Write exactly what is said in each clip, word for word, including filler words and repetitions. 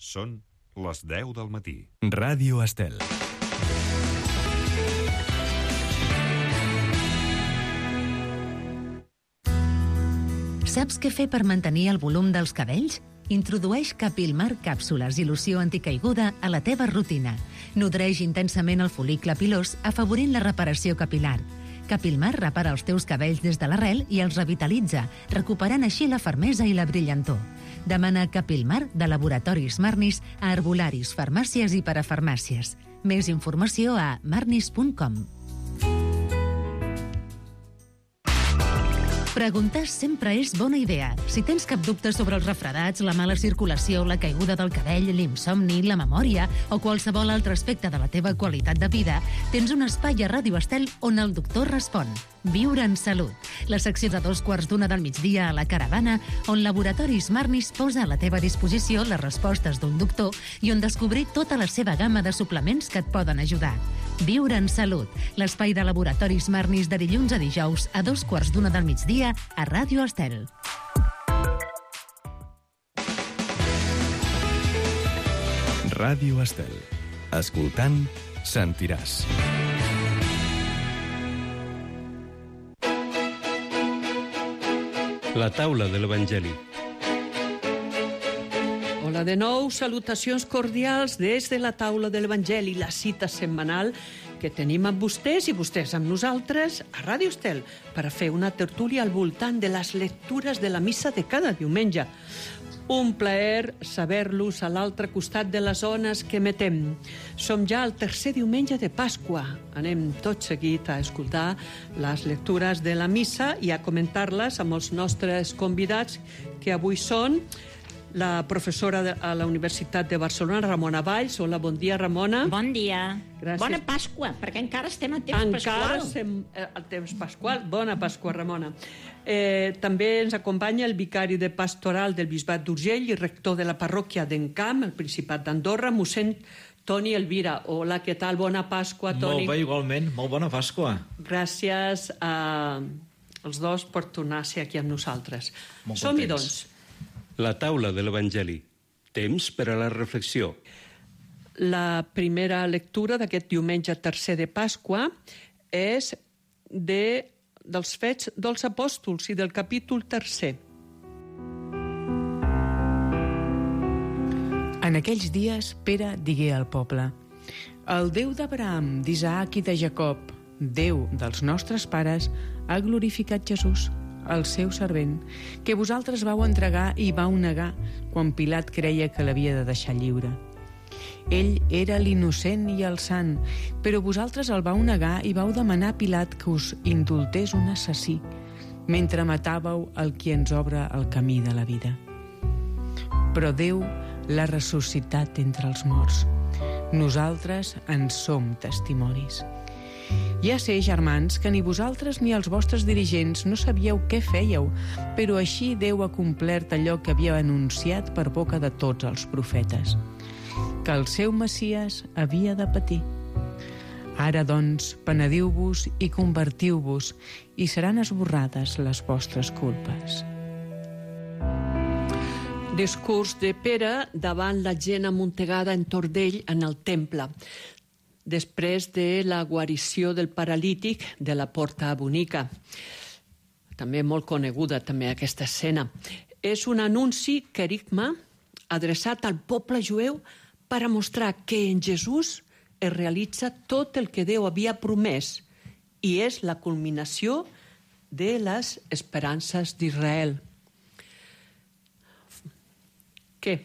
Són les deu del matí. Ràdio Estel. Saps què fer per mantenir el volum dels cabells? Introdueix Capilmar càpsules i loció anticaiguda a la teva rutina. Nodreix intensament el fol·licle pilós, afavorint la reparació capilar. Capilmar repara els teus cabells des de l'arrel i els revitalitza, recuperant així la fermesa i la brillantor. Demana Capilmar de Laboratoris Marnis a herbolaris, farmàcies i parafarmàcies. Més informació a marnis punt com. Preguntar sempre és bona idea. Si tens cap dubte sobre els refredats, la mala circulació, la caiguda del cabell, l'insomni, la memòria o qualsevol altre aspecte de la teva qualitat de vida, tens un espai a Ràdio Estel on el doctor respon. Viure en salut. La secció de dos quarts d'una del migdia a la Caravana, on Laboratoris Marnis posa a la teva disposició les respostes d'un doctor i on descobrir tota la seva gamma de suplements que et poden ajudar. Viure en salut. L'espai de Laboratoris Marnis de dilluns a dijous a dos quarts d'una del migdia a Ràdio Estel. Ràdio Estel. Escoltant, sentiràs. La taula de l'Evangeli. Hola de nou, salutacions cordials des de la taula de l'Evangeli, la cita setmanal que tenim amb vostès i vostès amb nosaltres a Ràdio Estel per a fer una tertúlia al voltant de les lectures de la missa de cada diumenge. Un plaer saber-los a l'altre costat de les ones que emetem. Som ja al tercer diumenge de Pasqua. Anem tot seguit a escoltar les lectures de la missa i a comentar-les amb els nostres convidats, que avui són la professora de, a la Universitat de Barcelona, Ramona Valls. Hola, bon dia, Ramona. Bon dia. Gràcies. Bona Pasqua, perquè encara estem en temps encara pasqual. Encara estem al temps pasqual. Bona Pasqua, Ramona. Eh, també ens acompanya el vicari de pastoral del Bisbat d'Urgell i rector de la parròquia d'Encamp, el Principat d'Andorra, mossèn Toni Elvira. Hola, què tal? Bona Pasqua, Toni. Molt bé, igualment. Molt bona Pasqua. Gràcies a els dos per tornar a ser aquí amb nosaltres. Som-hi, doncs. La taula de l'Evangeli. Temps per a la reflexió. La primera lectura d'aquest diumenge tercer de Pasqua és de, dels Fets dels Apòstols i del capítol tercer. En aquells dies, Pere digué al poble: el Déu d'Abraham, d'Isaac i de Jacob, Déu dels nostres pares, ha glorificat Jesús, el seu servent, que vosaltres vau entregar i vau negar quan Pilat creia que l'havia de deixar lliure. Ell era l'innocent i el sant, però vosaltres el vau negar i vau demanar a Pilat que us indultés un assassí, mentre matàveu el qui ens obre el camí de la vida. Però Déu l'ha ressuscitat entre els morts. Nosaltres en som testimonis. Ja sé, germans, que ni vosaltres ni els vostres dirigents no sabíeu què fèieu, però així Déu ha complert allò que havia anunciat per boca de tots els profetes, que el seu Messies havia de patir. Ara, doncs, penediu-vos i convertiu-vos, i seran esborrades les vostres culpes. Discurs de Pere davant la gent amuntegada entorn d'ell en el temple, després de la guarició del paralític de la Porta Bonica. També molt coneguda, també, aquesta escena. És un anunci, querigma, adreçat al poble jueu per a mostrar que en Jesús es realitza tot el que Déu havia promès i és la culminació de les esperances d'Israel. Què?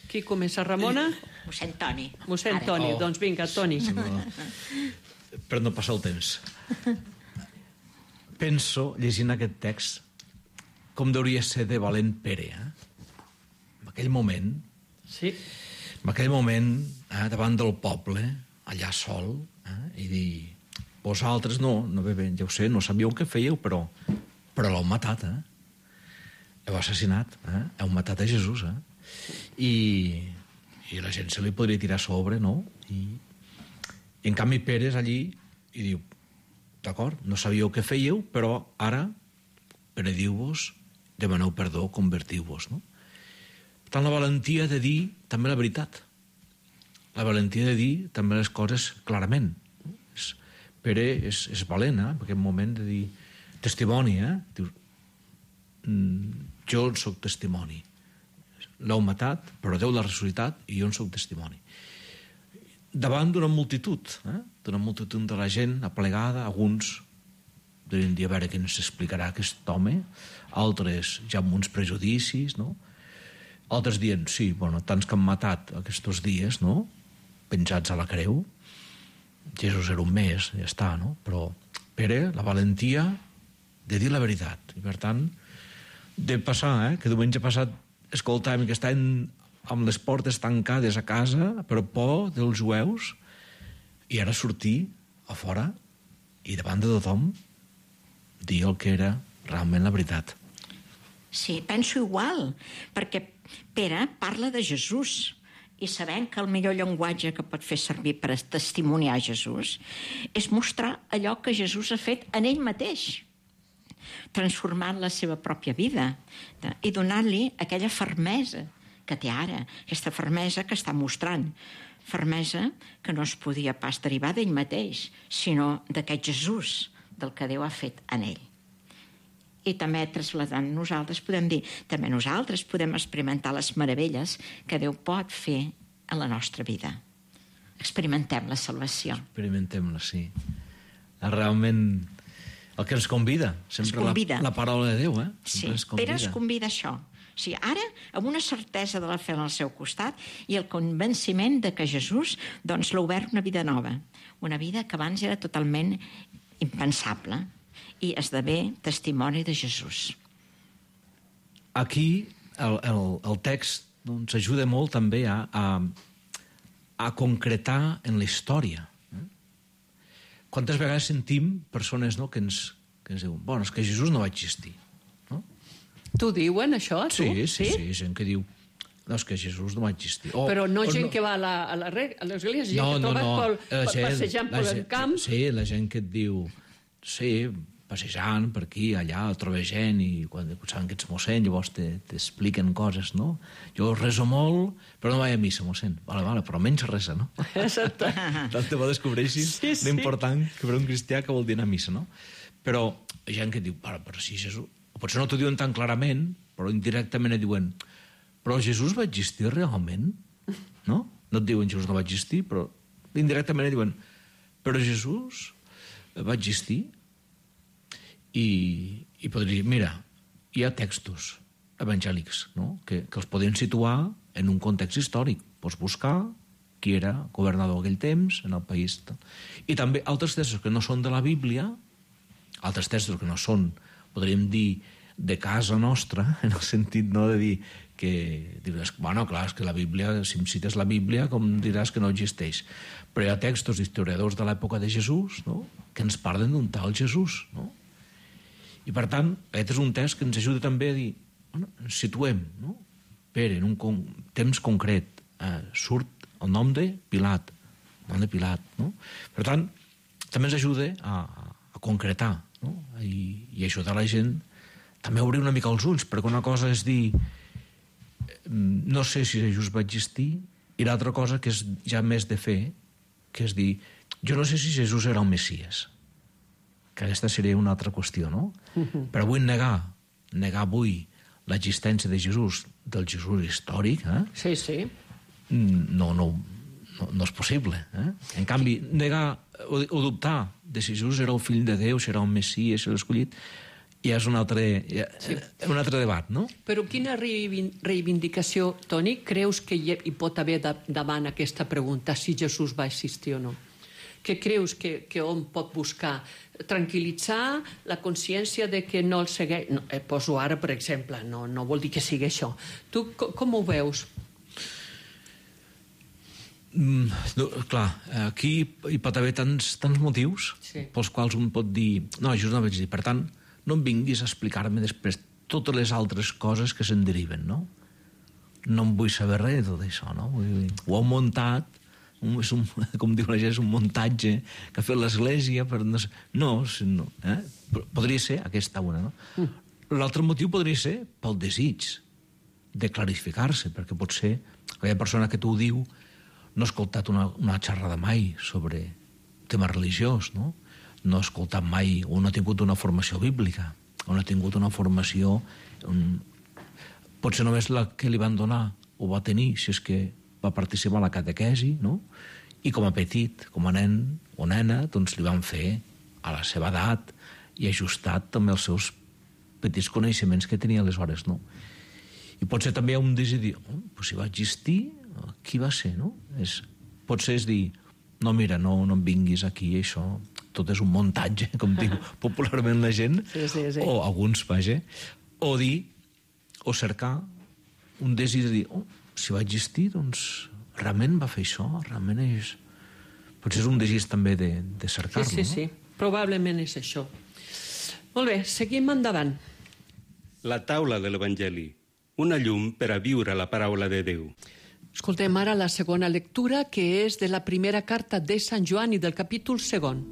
Qui comença, Ramona? Mossèn Toni. Mossèn Ara. Toni, Oh. doncs vinga, Toni. Sí, no. Per no passar el temps. Penso, llegint aquest text, com hauria ser de valent Pere. Eh? En aquell moment, Sí. en aquell moment, eh, davant del poble, allà sol, eh, i dir, vosaltres no, no bé, bé, ja ho sé, no sabíeu què fèieu, però, però l'heu matat, eh? Heu assassinat, eh? Heu matat a Jesús, eh? I, i la gent se li podria tirar a sobre, no? I, i en canvi Pere és allí i diu, d'acord, no sabíeu què fèieu, però ara penediu-vos, demaneu perdó, convertiu-vos, no? Per tant, la valentia de dir també la veritat. La valentia de dir també les coses clarament. És, Pere és, és valent, eh? En aquest moment de dir testimoni, eh? Diu, jo en soc testimoni. L'heu matat, però Déu l'ha ressuscitat i jo en soc testimoni. Davant d'una multitud, eh? d'una multitud de la gent aplegada, alguns devien dir a veure què ens explicarà aquest home, altres ja amb uns prejudicis, no? Altres dient, sí, bueno, tants que han matat aquests dies, no? Penjats a la creu, Jesús era un més, ja està, no? Però Pere, la valentia de dir la veritat. I per tant, de passar, eh? Que diumenge passat escoltàvem que estaven amb les portes tancades a casa per por dels jueus i ara sortir a fora i davant de tothom dir el que era realment la veritat. Sí, penso igual, perquè Pere parla de Jesús i sabem que el millor llenguatge que pot fer servir per testimoniar Jesús és mostrar allò que Jesús ha fet en ell mateix, transformant la seva pròpia vida i donant-li aquella fermesa que té ara, aquesta fermesa que està mostrant, fermesa que no es podia pas derivar d'ell mateix, sinó d'aquest Jesús del que Déu ha fet en ell. I també trasladant nosaltres podem dir, també nosaltres podem experimentar les meravelles que Déu pot fer en la nostra vida. Experimentem la salvació. Experimentem-la, sí. Realment el que ens convida, sempre convida. La, la paraula de Déu, eh? Sí, ens Pere es convida a això. O sigui, ara, amb una certesa de la fe al seu costat i el convenciment de que Jesús doncs, l'ha obert una vida nova, una vida que abans era totalment impensable, i esdevé testimoni de Jesús. Aquí el, el, el text doncs, ajuda molt també a, a, a concretar en la història. Eh? Quantes vegades sentim persones, no, que, ens, que ens diuen, bueno, és que Jesús no va existir. No? T'ho diuen, això, tu? Sí, sí, sí, sí, gent que diu no, és que Jesús no va existir. O, Però no o gent no... que va a, la, a, la, a l'església, gent no, que no, troba no. pel, La gent, passejant la pel gent, camp. Sí, la gent que et diu, sí, passejant per aquí, allà, troba gent i quan saben que ets mossèn llavors t'expliquen coses, no? Jo reso molt, però no vaig a missa, mossèn. Vale, vale, però menys resa, no? Exacte. Tant te bo descobreixis sí, sí. l'important que per un cristià que vol dir anar a missa, no? Però hi ha gent que diu, però si Jesús... O potser no t'ho diuen tan clarament, però indirectament et diuen, però Jesús va existir realment? No? No et diuen Jesús no va existir, però indirectament et diuen, però Jesús va existir? I, i podria dir, mira, hi ha textos evangèlics, no? que, que els podem situar en un context històric. Pots buscar qui era governador aquell temps en el país. I també altres textos que no són de la Bíblia, altres textos que no són, podríem dir, de casa nostra, en el sentit no, de dir que diràs, bueno, clar, és que la Bíblia, si em cites la Bíblia, com diràs que no existeix. Però hi ha textos d'historiadors de l'època de Jesús, no?, que ens parlen d'un tal Jesús, no? I per tant, aquest és un text que ens ajuda també a dir, bueno, ens situem, no? Pere, en un con temps concret, eh, surt el nom de Pilat, el nom de Pilat, no? Per tant, també ens ajuda a, a concretar, no? I, i ajudar la gent també a obrir una mica els ulls, perquè una cosa és dir no sé si Jesús va existir, i l'altra cosa que és ja més de fer, que és dir, jo no sé si Jesús era el Messies, que aquesta seria una altra qüestió, no? Uh-huh. Però vull negar, negar avui l'existència de Jesús, del Jesús històric, eh? Sí, sí. No, no, no, no és possible. Eh? En canvi, negar o, o dubtar de si Jesús era el fill de Déu, si era el Messies, si era l'escollit, ja és un altre, ja, sí. un altre debat, no? Però quina reivindicació, Toni, creus que hi, hi pot haver de, davant aquesta pregunta, si Jesús va existir o no? Què creus que, que hom pot buscar? Tranquil·litzar la consciència de que no el segueix... No, eh, poso ara, per exemple, no, no vol dir que sigui això. Tu com, com ho veus? Mm, no, clar, aquí hi pot haver tants, tants motius sí. pels quals un pot dir no, Jesús no vaig dir, per tant no em vinguis a explicar-me després totes les altres coses que se'n deriven, no? No em vull saber res de tot això, no? Ho heu muntat, un, és un, com diu la gent, és un muntatge que ha fet l'Església per... No, no, no eh? Podria ser aquesta una, no? Mm. L'altre motiu podria ser pel desig de clarificar-se, perquè potser aquella persona que t'ho diu no ha escoltat una, una xerrada mai sobre tema religiós, no? No ha escoltat mai, o no ha tingut una formació bíblica, o no ha tingut una formació... Un... Potser només la que li van donar ho va tenir, si és que va participar a la catequesi, no? I com a petit, com a nen o nena, doncs li van fer a la seva edat i ajustat també els seus petits coneixements que tenia aleshores, no? I potser també hi ha un desig, oh, però si va existir, qui va ser, no? És, potser és dir, no, mira, no, no em vinguis aquí, això, tot és un muntatge, com diu popularment la gent, sí, sí, sí. O alguns, vaja, o dir, o cercar un desig de dir, oh, si va existir, doncs realment va fer això, realment és... Potser és un desig també de, de cercar-lo, sí, sí, no? sí, probablement és això. Molt bé, seguim endavant. La taula de l'Evangeli, una llum per a viure la paraula de Déu. Escoltem ara la segona lectura, que és de la primera carta de Sant Joan i del capítol segon.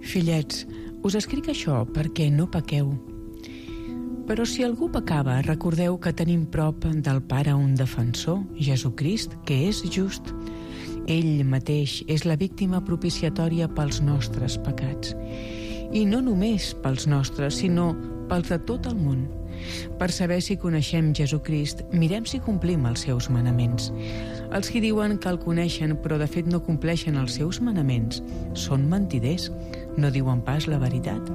Fillets, us escric això perquè no pequeu. Però si algú pecava, recordeu que tenim prop del Pare un defensor, Jesucrist, que és just. Ell mateix és la víctima propiciatòria pels nostres pecats. I no només pels nostres, sinó pels de tot el món. Per saber si coneixem Jesucrist, mirem si complim els seus manaments. Els que diuen que el coneixen però de fet no compleixen els seus manaments són mentiders, no diuen pas la veritat.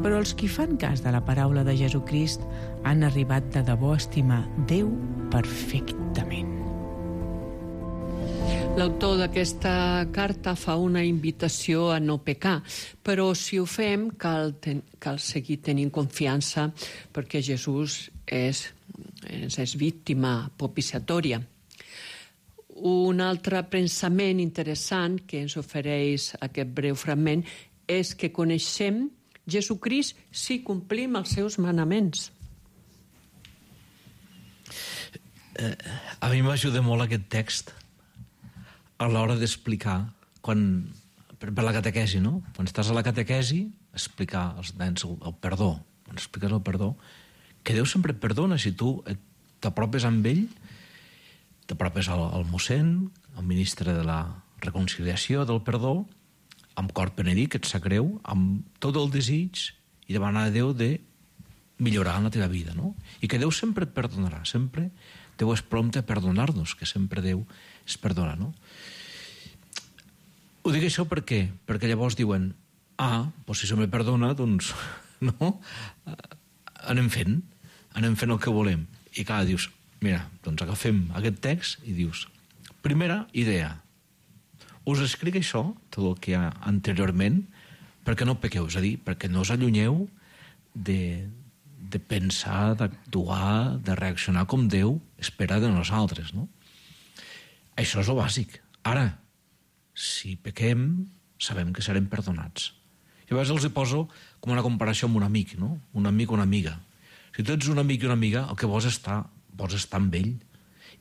Però els qui fan cas de la paraula de Jesucrist han arribat de debò a estimar Déu perfectament. L'autor d'aquesta carta fa una invitació a no pecar, però si ho fem cal, ten, cal seguir tenint confiança perquè Jesús és, és, és víctima propiciatòria. Un altre pensament interessant que ens ofereix aquest breu fragment és que coneixem Jesucrist si complim els seus manaments. Eh, a mi m'ajuda molt aquest text a l'hora d'explicar, quan, per, per la catequesi, no? Quan estàs a la catequesi, explicar als nens el, el perdó. Quan expliques el perdó, que Déu sempre et perdona. Si tu t'apropes amb ell, t'apropes al, al mossèn, al ministre de la reconciliació, del perdó, amb cor penedit, que et sap greu, amb tot el desig i demanar a Déu de millorar en la teva vida, no? I que Déu sempre et perdonarà, sempre Déu és prompte a perdonar-nos, que sempre Déu es perdona, no? Ho dic això per què? Perquè llavors diuen, ah, doncs si se me perdona, doncs, no? Anem fent, anem fent el que volem. I clar, dius, mira, doncs agafem aquest text i dius, primera idea, us escric això, tot el que hi ha anteriorment, perquè no pequeu, és a dir, perquè no us allunyeu de, de pensar, d'actuar, de reaccionar com Déu espera de nosaltres, no? Això és el bàsic. Ara, si pequem, sabem que serem perdonats. I a vegades els hi poso com una comparació amb un amic, no? Un amic o una amiga. Si tu ets un amic i una amiga, el que vols estar, vols estar amb ell,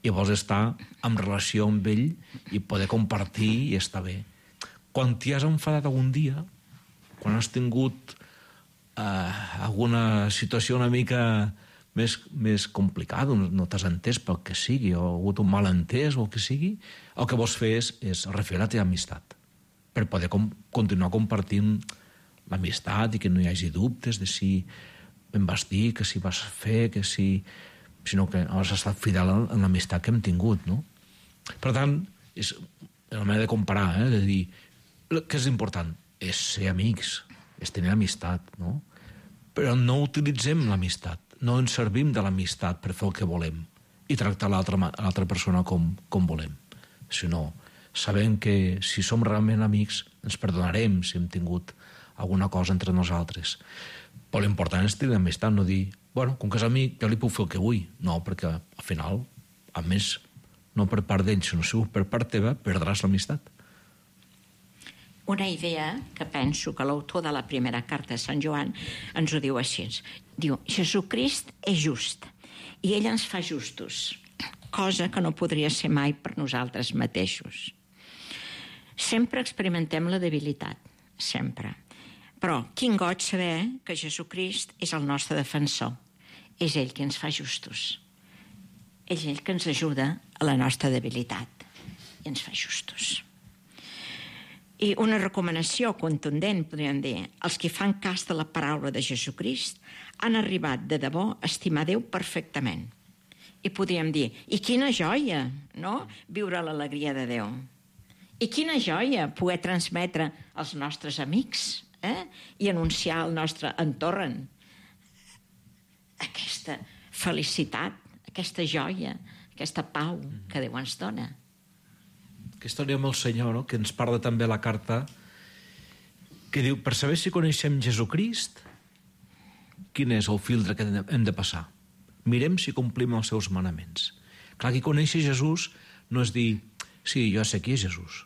i vols estar en relació amb ell i poder compartir i estar bé. Quan t'hi has enfadat algun dia, quan has tingut eh, alguna situació una mica més, més complicada, no t'has entès pel que sigui, o ha hagut un malentès o el que sigui, el que vols fer és, és refer la teva amistat, per poder com, continuar compartint l'amistat i que no hi hagi dubtes de si em vas dir, que si vas fer, que si... sinó que has estat fidel en l'amistat que hem tingut, no? Per tant, és la manera de comparar, eh? De dir, què és important? És ser amics, és tenir amistat, no? Però no utilitzem l'amistat, no ens servim de l'amistat per fer el que volem i tractar l'altra persona com, com volem. Sinó, sabem que si som realment amics ens perdonarem si hem tingut alguna cosa entre nosaltres. Però l'important és tenir amistat, no dir, bueno, com que és amic, jo li puc fer el que vull. No, perquè al final, a més, no per part d'ell, sinó si per part teva, perdràs l'amistat. Una idea que penso que l'autor de la primera carta de Sant Joan ens ho diu així. Diu, Jesucrist és just i ell ens fa justos, cosa que no podria ser mai per nosaltres mateixos. Sempre experimentem la debilitat, sempre. Però quin goig saber que Jesucrist és el nostre defensor. És ell qui ens fa justos. És ell que ens ajuda a la nostra debilitat i ens fa justos. I una recomanació contundent, podríem dir, els que fan cas de la paraula de Jesucrist han arribat de debò a estimar Déu perfectament. I podríem dir, i quina joia, no?, viure l'alegria de Déu. I quina joia poder transmetre als nostres amics, eh?, i anunciar al nostre entorn aquesta felicitat, aquesta joia, aquesta pau que Déu ens dona. Aquesta hora amb el Senyor, no?, que ens parla també la carta, que diu, per saber si coneixem Jesucrist, quin és el filtre que hem de passar? Mirem si complim els seus manaments. Clar, qui conèixer Jesús no és dir, sí, jo sé qui és Jesús.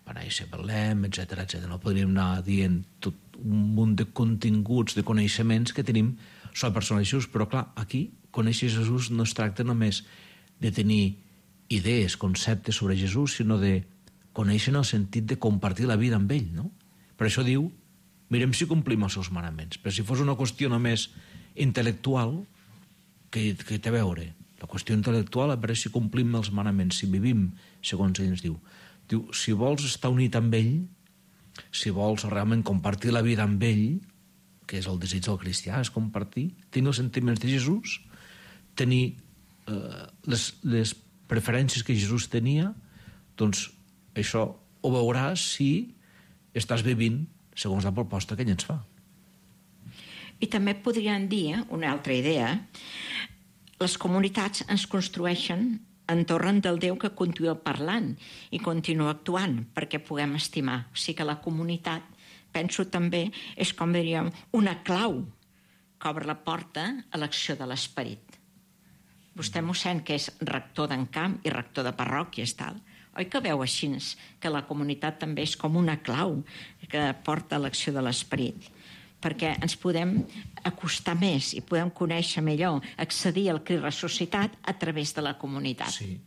Va néixer a Betlem, etcètera, etcètera. No podríem anar dient tot un munt de continguts, de coneixements que tenim sobre la persona de Jesús, però clar, aquí conèixer Jesús no es tracta només de tenir idees, conceptes sobre Jesús, sinó de conèixer en el sentit de compartir la vida amb ell, no? Per això diu, mirem si complim els seus manaments. Però si fos una qüestió només intel·lectual, que, que té a veure? La qüestió intel·lectual a veure si complim els manaments, si vivim segons ell ens diu. Diu, si vols estar unit amb ell, si vols realment compartir la vida amb ell, que és el desig del cristià, és compartir, tenir els sentiments de Jesús, tenir eh, les, les preferències que Jesús tenia, doncs això ho veuràs si estàs vivint segons la proposta que ell ens fa. I també podríem dir, una altra idea, les comunitats ens construeixen entorn del Déu que continua parlant i continua actuant perquè puguem estimar. O sigui que la comunitat, penso també, és com diríem una clau que obre la porta a l'acció de l'esperit. Vostè, mossèn, que és rector d'encamp i rector de parròquies, tal, oi que veu així que la comunitat també és com una clau que porta a l'acció de l'esperit? Perquè ens podem acostar més i podem conèixer millor, accedir al Crist ressuscitat a través de la comunitat. Sí,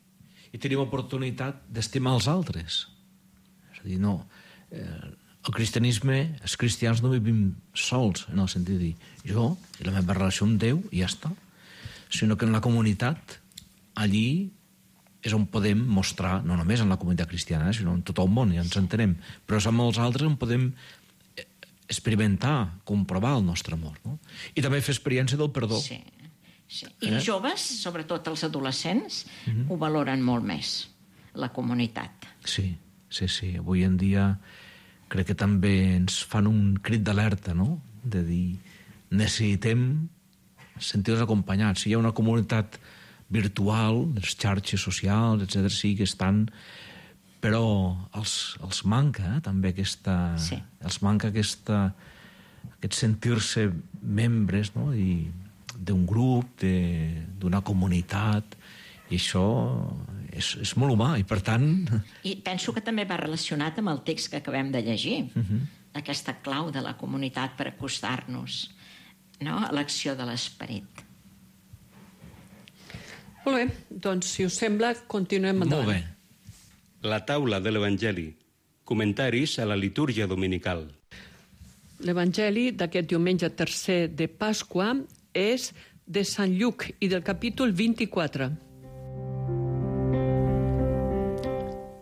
i tenim oportunitat d'estimar els altres. És a dir, no, eh, el cristianisme, els cristians no vivim sols, en el sentit de dir, jo i la meva relació amb Déu i ja està, sinó que en la comunitat, allí és on podem mostrar, no només en la comunitat cristiana, sinó en tot el món, ja ens entenem, però és amb els altres on podem experimentar, comprovar el nostre amor, no? I també fer experiència del perdó. Sí, sí. I els eh? joves, sobretot els adolescents, mm-hmm. ho valoren molt més, la comunitat. Sí, sí, sí. Avui en dia crec que també ens fan un crit d'alerta, no?, de dir, necessitem sentir-nos acompanyats. Si hi ha una comunitat virtual, les xarxes socials, etcètera, sí que estan... però els, els manca eh, també aquesta... Sí. Els manca aquesta, aquest sentir-se membres, no?, i d'un grup, d'una comunitat, i això és, és molt humà, i per tant... I penso que també va relacionat amb el text que acabem de llegir, uh-huh. aquesta clau de la comunitat per acostar-nos, no?, a l'acció de l'esperit. Molt bé, doncs, si us sembla, continuem endavant. Molt bé. La taula de l'Evangeli. Comentaris a la litúrgia dominical. L'Evangeli d'aquest diumenge tercer de Pasqua és de Sant Lluc i del capítol vint-i-quatre.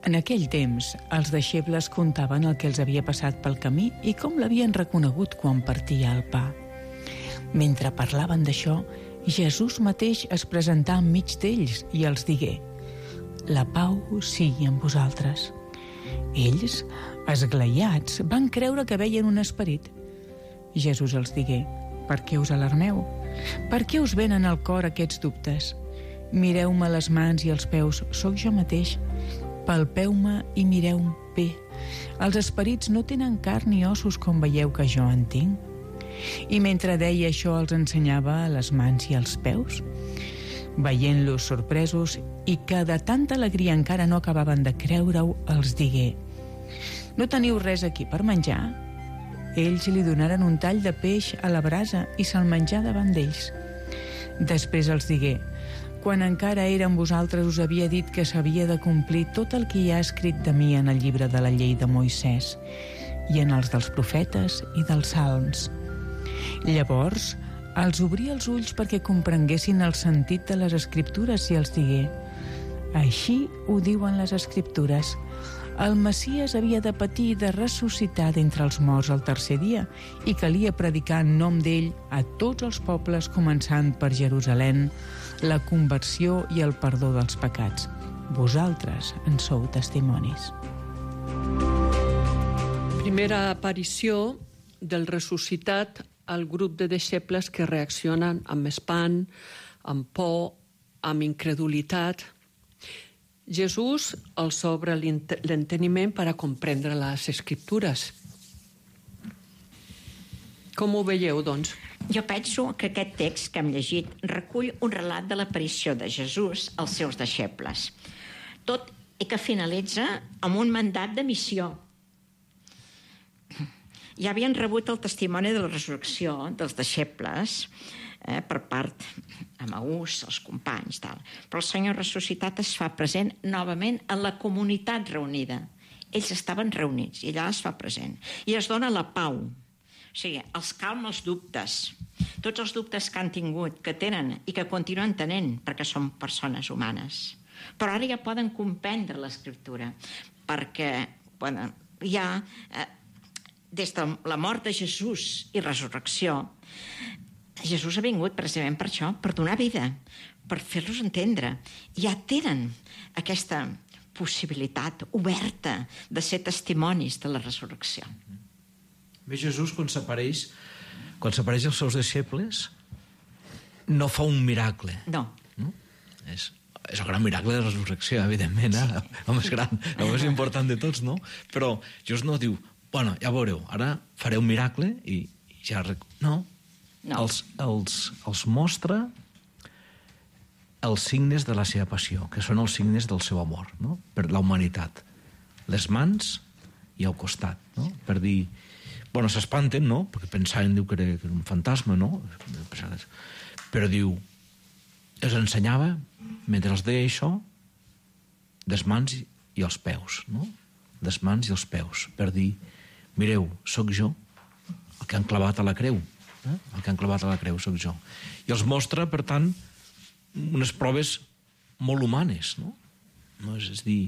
En aquell temps, els deixebles contaven el que els havia passat pel camí i com l'havien reconegut quan partia el pa. Mentre parlaven d'això, Jesús mateix es presentà enmig d'ells i els digué: «La pau sigui amb vosaltres». Ells, esglaiats, van creure que veien un esperit. Jesús els digué: «Per què us alarmeu? Per què us venen al cor aquests dubtes? Mireu-me les mans i els peus, sóc jo mateix. Palpeu-me i mireu-me bé. Els esperits no tenen carn ni ossos com veieu que jo en tinc». I mentre deia això els ensenyava les mans i els peus. Veient-los sorpresos i que de tanta alegria encara no acabaven de creure-ho, els digué: «No teniu res aquí per menjar?» Ells li donaren un tall de peix a la brasa i se'l menjà davant d'ells. Després els digué: «Quan encara era amb vosaltres us havia dit que s'havia de complir tot el que hi ha escrit de mi en el llibre de la llei de Moisès i en els dels profetes i dels salms. Llavors, els obria els ulls perquè comprenguessin el sentit de les escriptures i els digué: així ho diuen les escriptures. El Messies havia de patir i de ressuscitar d'entre els morts el tercer dia i calia predicar en nom d'ell a tots els pobles, començant per Jerusalem, la conversió i el perdó dels pecats. Vosaltres en sou testimonis. Primera aparició del ressuscitat al grup de deixebles que reaccionen amb espant, amb por, amb incredulitat. Jesús els obre l'enteniment per a comprendre les Escriptures. Com ho veieu, doncs? Jo penso que aquest text que hem llegit recull un relat de l'aparició de Jesús als seus deixebles, tot i que finalitza amb un mandat de missió. Ja havien rebut el testimoni de la resurrecció dels deixebles eh, per part Emaús, els companys, tal. Però el Senyor ressuscitat es fa present novament en la comunitat reunida. Ells estaven reunits i allà es fa present. I es dona la pau. O sigui, els calma els dubtes. Tots els dubtes que han tingut, que tenen i que continuen tenint, perquè són persones humanes. Però ara ja poden comprendre l'Escriptura, perquè bueno, ja, eh, des de la mort de Jesús i resurrecció, Jesús ha vingut precisament per això, per donar vida, per fer-los entendre. Ja tenen aquesta possibilitat oberta de ser testimonis de la resurrecció. Bé, Jesús, quan s'apareix, quan s'apareix als seus deixebles, no fa un miracle. No. no? És, és el gran miracle de la resurrecció, evidentment, eh? el més gran, el més important de tots, no? Però Jesús no diu, bueno, ja veureu, ara faré un miracle i, i ja... Rec... No, no. Els, els, els mostra els signes de la seva passió, que són els signes del seu amor, no? Per la humanitat. Les mans i el costat, no? Per dir... Bueno, s'espanten, no? Perquè pensaven diu, que, era, que era un fantasma, no? Però diu... Els ensenyava, mentre els deia això, les mans i els peus, no? Les mans i els peus, per dir... Mireu, sóc jo, el que han clavat a la creu. Eh? El que han clavat a la creu sóc jo. I els mostra, per tant, unes proves molt humanes, no? No és, és dir...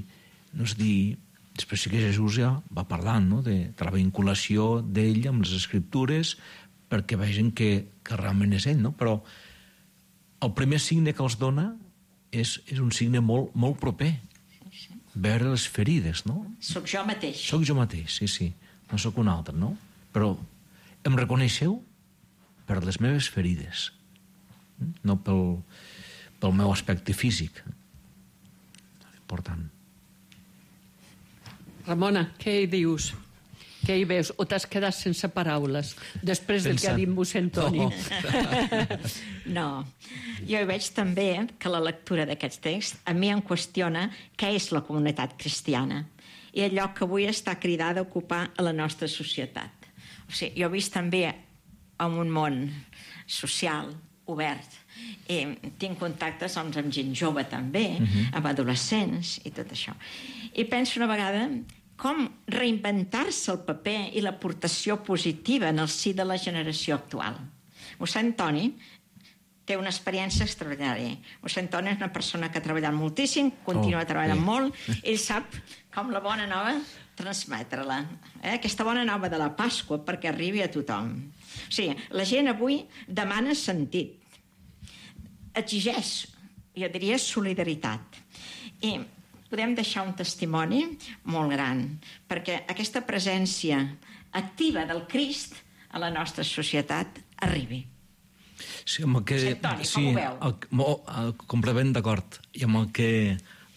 No és dir... Després sí que Jesús ja va parlant, no? de, de la vinculació d'ell amb les Escriptures perquè vegin que, que realment és ell, no? Però el primer signe que els dona és, és un signe molt, molt proper. Sí, sí. Veure les ferides, no? Soc jo mateix. Soc jo mateix, sí, sí. No sóc un altre, no? Però em reconeixeu per les meves ferides, no pel, pel meu aspecte físic. Important. Ramona, què hi dius? Què hi veus? O t'has quedat sense paraules després del que ha dit mossèn Toni? No. no. Jo hi veig també que la lectura d'aquests texts a mi em qüestiona què és la comunitat cristiana i allò que avui està cridada a ocupar a la nostra societat. O sigui, jo he vist també en un món social, obert, i tinc contactes amb, amb gent jove també, uh-huh. amb adolescents i tot això. I penso una vegada com reinventar-se el paper i l'aportació positiva en el si de la generació actual. Mossèn Toni té una experiència extraordinària. Mossèn Toni és una persona que ha treballat moltíssim, continua oh, treballant bé. molt, ell sap com la bona nova transmetre-la. Eh? Aquesta bona nova de la Pasqua perquè arribi a tothom. O sigui, la gent avui demana sentit, exigeix, jo diria, solidaritat. I podem deixar un testimoni molt gran, perquè aquesta presència activa del Crist a la nostra societat arribi. Sí, amb el que... Toni, sí, com ho veu? El, el, el, completament d'acord. I amb el que,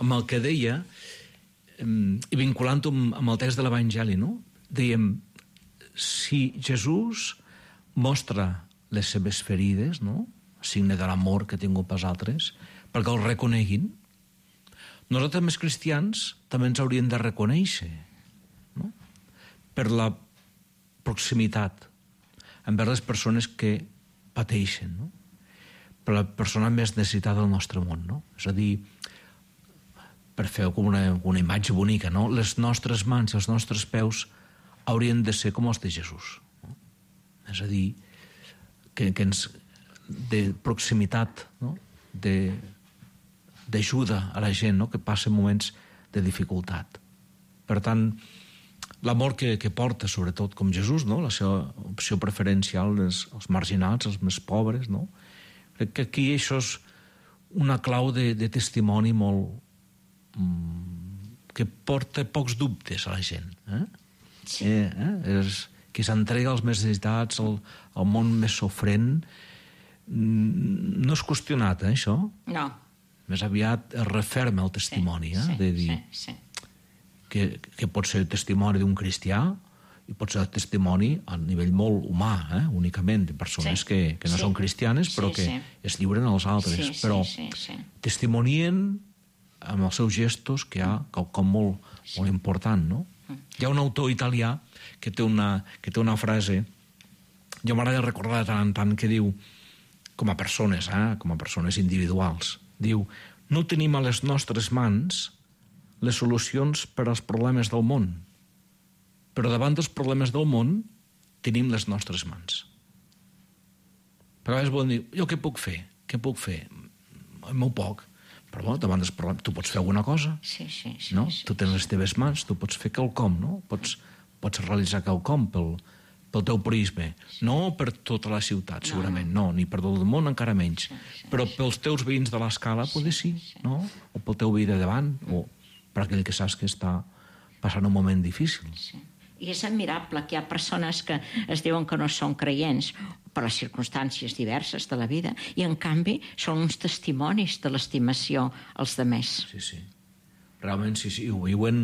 amb el que deia, i vinculant-ho amb, amb el text de l'Evangeli, no? Dèiem, si Jesús mostra les seves ferides, no? Signe de l'amor que ha tingut pels altres, perquè el reconeguin, nosaltres, més cristians, també ens hauríem de reconèixer, no? Per la proximitat envers les persones que pateixen, no? Per la persona més necessitada del nostre món, no? És a dir, per fer com una, una imatge bonica, no? Les nostres mans i els nostres peus haurien de ser com els de Jesús. No? És a dir, que, que ens, de proximitat, no? de, d'ajuda a la gent, no? que passa moments de dificultat. Per tant, l'amor que, que porta, sobretot com Jesús, no? La seva opció preferencial és els marginals, els més pobres, no? Crec que aquí això és una clau de, de testimoni molt... Mm, que porta pocs dubtes a la gent. Eh? Sí. Eh, eh? És, que s'entrega als més necessitats, al, al món més sofrent. Mm, no és qüestionat, eh, això? No. Més aviat es referma el testimoni, eh? Sí, de dir sí, sí. Que, que pot ser testimoni d'un cristià i pot ser testimoni a nivell molt humà, eh? únicament, de persones sí. que, que no sí. són cristianes però sí, que sí. es lliuren als altres. Sí, però sí, sí, sí. testimonien amb els seus gestos que hi ha quelcom molt, sí. molt important, no? Mm. Hi ha un autor italià que té una, que té una frase, jo m'agrada recordar de tant en tant, que diu, com a persones, eh? com a persones individuals, diu, no tenim a les nostres mans les solucions per als problemes del món, però davant dels problemes del món tenim les nostres mans. Però a vegades volen dir, jo què puc fer? Què puc fer? Molt poc. Però bueno, davant dels problemes, tu pots fer alguna cosa. Sí, sí, sí. No? sí tu tens sí. les teves mans, tu pots fer quelcom, no? Pots, pots realitzar quelcom pel, pel teu prisme. No per tota la ciutat, segurament, no, no ni per tot el món encara menys. Sí, sí, però pels teus veïns de l'escala, sí, potser sí, sí, no? O pel teu veí de davant, mm. o per aquell que saps que està passant un moment difícil. Sí. I és admirable que hi ha persones que es diuen que no són creients per les circumstàncies diverses de la vida i, en canvi, són uns testimonis de l'estimació als demés. Sí, sí. Realment, sí, sí, ho viuen,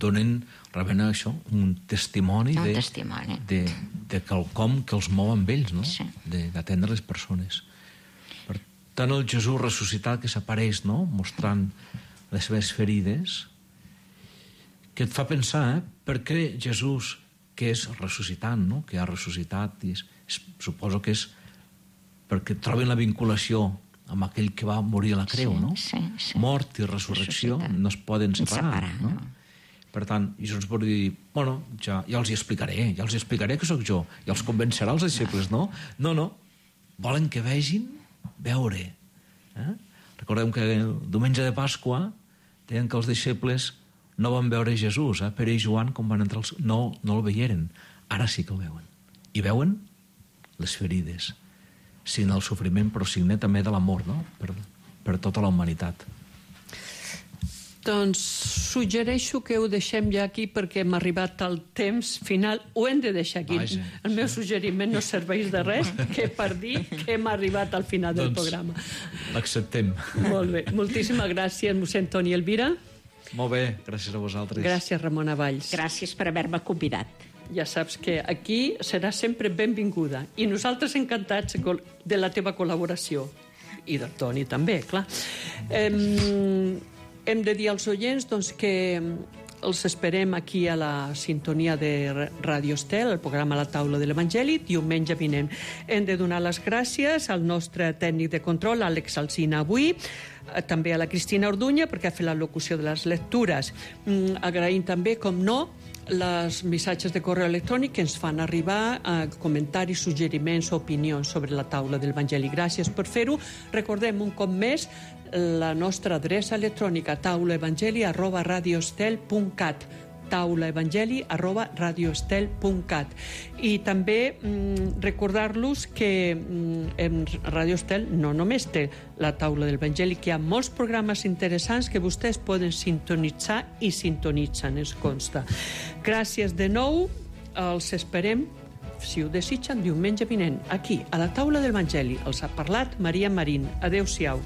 donen realment això, un testimoni, un de, testimoni. de, de quelcom que els mou amb ells, no? Sí. D'atendre les persones. Per tant, el Jesús ressuscitat que s'apareix, no? Mostrant les seves ferides, que et fa pensar, eh? Per què Jesús, que és ressuscitant, no? Que ha ressuscitat, i és, és, suposo que és perquè troben la vinculació amb aquell que va morir a la creu, sí, no? Sí, sí. Mort i resurrecció no es poden separar, separar no? no? Per tant, Jesús ens pot dir, bueno, ja, ja els hi explicaré, ja els hi explicaré que sóc jo, ja els convencerà els deixebles, no? No, no, volen que vegin veure. Eh? Recordem que el diumenge de Pasqua deien que els deixebles no van veure Jesús, eh? Pere i Joan, com van entrar els... No, no el veieren. Ara sí que el veuen. I veuen les ferides. Signa el sofriment, però signa també de l'amor, no? Per, per tota la humanitat. Doncs suggereixo que ho deixem ja aquí perquè hem arribat al temps final. Ho hem de deixar aquí. Vaja, el meu suggeriment no serveix de res que per dir que hem arribat al final del doncs, programa. L'acceptem. Molt bé. Moltíssimes gràcies, mossèn Toni Elvira. Molt bé, gràcies a vosaltres. Gràcies, Ramona Valls. Gràcies per haver-me convidat. Ja saps que aquí serà sempre benvinguda. I nosaltres encantats de la teva col·laboració. I del Toni també, clar. Hem, hem de dir als oients doncs, que els esperem aquí a la sintonia de Ràdio Estel, el programa La Taula de l'Evangeli, diumenge vinent. Hem de donar les gràcies al nostre tècnic de control, Àlex Alsina, avui, també a la Cristina Orduña, perquè ha fet la locució de les lectures. Mm, agraïm també, com no, les missatges de correu electrònic que ens fan arribar a comentaris, suggeriments o opinions sobre la taula de l'Evangeli. Gràcies per fer-ho. Recordem un cop més la nostra adreça electrònica taulaevangeli arroba radioestel punt cat taulaevangeli arroba radioestel punt cat. I també mm, recordar-los que mm, en Radio Estel no només té la taula del Evangeli, que hi ha molts programes interessants que vostès poden sintonitzar i sintonitzen, ens consta. Gràcies de nou, els esperem, si ho desitgen, diumenge vinent, aquí, a la taula del Evangeli. Els ha parlat Maria Marín. Adéu-siau.